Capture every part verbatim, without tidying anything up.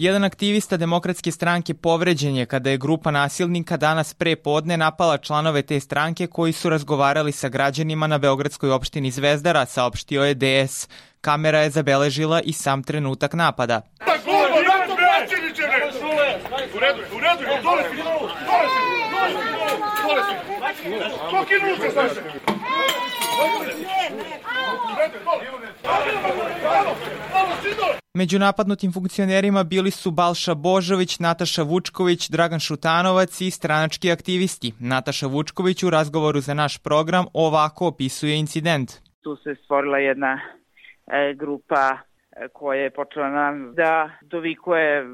Jedan aktivista Demokratske stranke povređen je kada je grupa nasilnika danas pre podne napala članove te stranke koji su razgovarali sa građanima na beogradskoj opštini Zvezdara, saopštio je D S. Kamera je zabeležila i sam trenutak napada. Među napadnutim funkcionerima bili su Balša Božović, Nataša Vučković, Dragan Šutanovac i stranački aktivisti. Nataša Vučković u razgovoru za naš program ovako opisuje incident. Tu se stvorila jedna e, grupa koja je počela nam da dovikuje,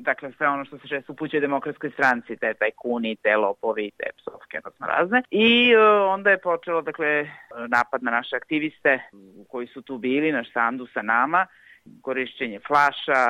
dakle, sve ono što se često upućuje Demokratskoj stranci, te tajkuni, te lopovi, te psovke, odnosno razne. I onda je počelo, dakle, napad na naše aktiviste koji su tu bili, naš sandu sa nama, korišćenje flaša,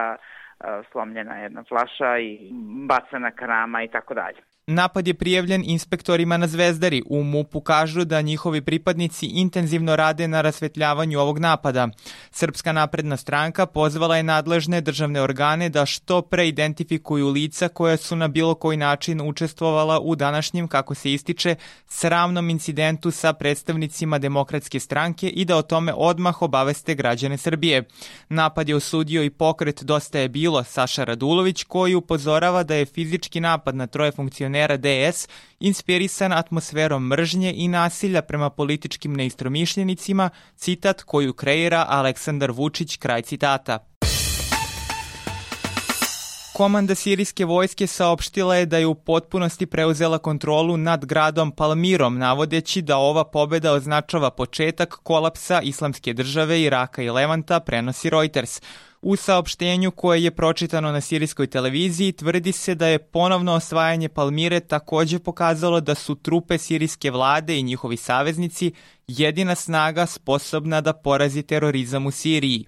slomljena jedna flaša i bacana karama i tako dalje. Napad je prijavljen inspektorima na Zvezdari. U M U P-u kažu da njihovi pripadnici intenzivno rade na rasvetljavanju ovog napada. Srpska napredna stranka pozvala je nadležne državne organe da što pre identifikuju lica koja su na bilo koji način učestvovala u današnjem, kako se ističe, sramnom incidentu sa predstavnicima Demokratske stranke i da o tome odmah obaveste građane Srbije. Napad je osudio i pokret Dosta je bilo Saša Radulović, koji upozorava da je fizički napad na troje funkcionera D S inspirisan atmosferom mržnje i nasilja prema političkim neistomišljenicima, citat koju kreira Aleksandar Vučić, kraj citata. Komanda sirijske vojske saopštila je da je u potpunosti preuzela kontrolu nad gradom Palmirom, navodeći da ova pobeda označava početak kolapsa Islamske države, Iraka i Levanta, prenosi Reuters. U saopštenju koje je pročitano na sirijskoj televiziji tvrdi se da je ponovno osvajanje Palmire takođe pokazalo da su trupe sirijske vlade i njihovi saveznici jedina snaga sposobna da porazi terorizam u Siriji.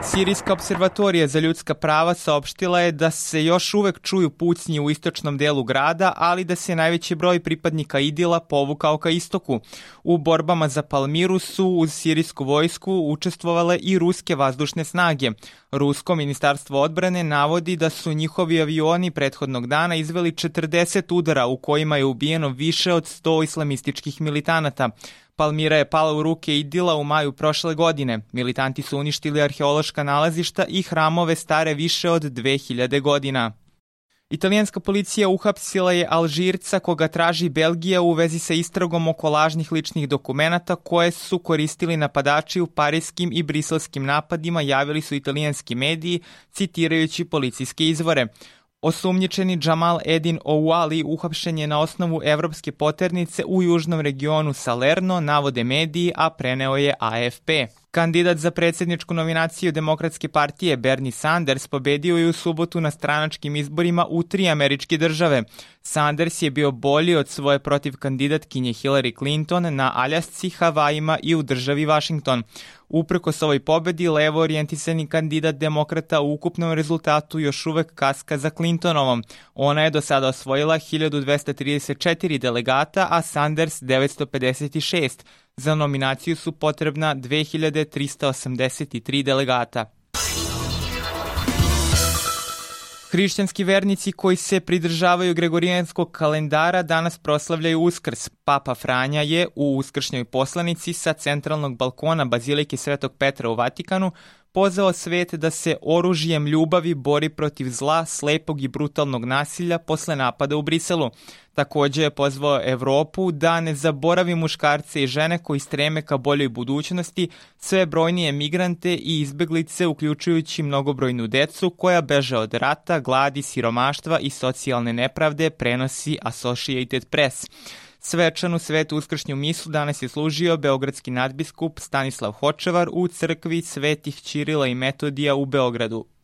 Sirijska observatorija za ljudska prava saopštila je da se još uvek čuju pucnji u istočnom delu grada, ali da se najveći broj pripadnika Idila povukao ka istoku. U borbama za Palmiru su uz sirijsku vojsku učestvovale i ruske vazdušne snage. Rusko ministarstvo odbrane navodi da su njihovi avioni prethodnog dana izveli četrdeset udara u kojima je ubijeno više od sto islamističkih militanata. Palmira je pala u ruke Idila u maju prošle godine. Militanti su uništili arheološka nalazišta i hramove stare više od dve hiljade godina. Italijanska policija uhapsila je Alžirca koga traži Belgija u vezi sa istragom oko lažnih ličnih dokumenata koje su koristili napadači u parijskim i briselskim napadima, javili su italijanski mediji, citirajući policijske izvore. Osumnjičeni Džamal Edin Ouali uhapšen je na osnovu evropske poternice u južnom regionu Salerno, navode mediji, a preneo je A F P. Kandidat za predsjedničku nominaciju Demokratske partije Bernie Sanders pobedio je u subotu na stranačkim izborima u tri američke države. Sanders je bio bolji od svoje protiv kandidatkinje Hillary Clinton na Aljasci, Havajima i u državi Washington. Uprkos ovoj pobedi, levo orijentisani kandidat demokrata u ukupnom rezultatu još uvek kaska za Clintonovom. Ona je do sada osvojila hiljadu dvesta trideset četiri delegata, a Sanders devetsto pedeset šest. Za nominaciju su potrebna dve hiljade trista osamdeset tri delegata. Hrišćanski vernici koji se pridržavaju gregorijanskog kalendara danas proslavljaju Uskrs. Papa Franja je u uskršnjoj poslanici sa centralnog balkona Bazilike Svetog Petra u Vatikanu pozvao svet da se oružjem ljubavi bori protiv zla, slepog i brutalnog nasilja posle napada u Briselu. Takođe je pozvao Evropu da ne zaboravi muškarce i žene koji streme ka boljoj budućnosti, sve brojnije migrante i izbeglice, uključujući mnogobrojnu decu koja beže od rata, gladi, siromaštva i socijalne nepravde, prenosi Associated Press. Svečanu svetu uskršnju misu danas je služio beogradski nadbiskup Stanislav Hočevar u crkvi Svetih Ćirila i Metodija u Beogradu.